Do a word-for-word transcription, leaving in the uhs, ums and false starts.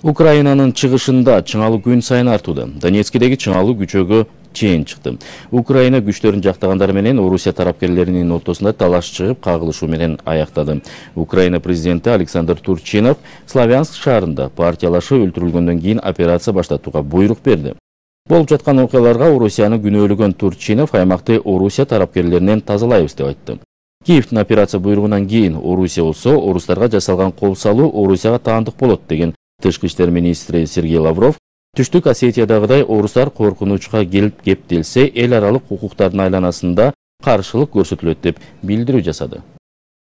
Украинанын чыгышында чыңалуу күн сайын артууда. Донецкидеги чыңалуу күчөгө чейин чыкты. Украина күчтөрүн жактагандар менен Орусия тарапкерлеринин ортосунда талаш чыгып, кагылышуу менен аяктады. Украина президенти Александр Турчинов Славянск шаарында партиялашы өлтүрүлгөндөн кийин операция баштатууга буйрук берди. Болуп жаткан окуяларга Орусияны күнөөлөгөн Турчинов аймакты Орусия тарапкерлеринен тазалайбыз деп айтты. Киевдин операция буйругунан кийин Орусия болсо орустарга жасалган кол салуу Орусияга таандык болот деген Тышкы иштер министри Сергей Лавров Түштүк Осетиядагыдай орустар коркунучка келип кептелсе эл аралык укуктардын айланасында каршылык көрсөтүлөт деп билдирүү жасады.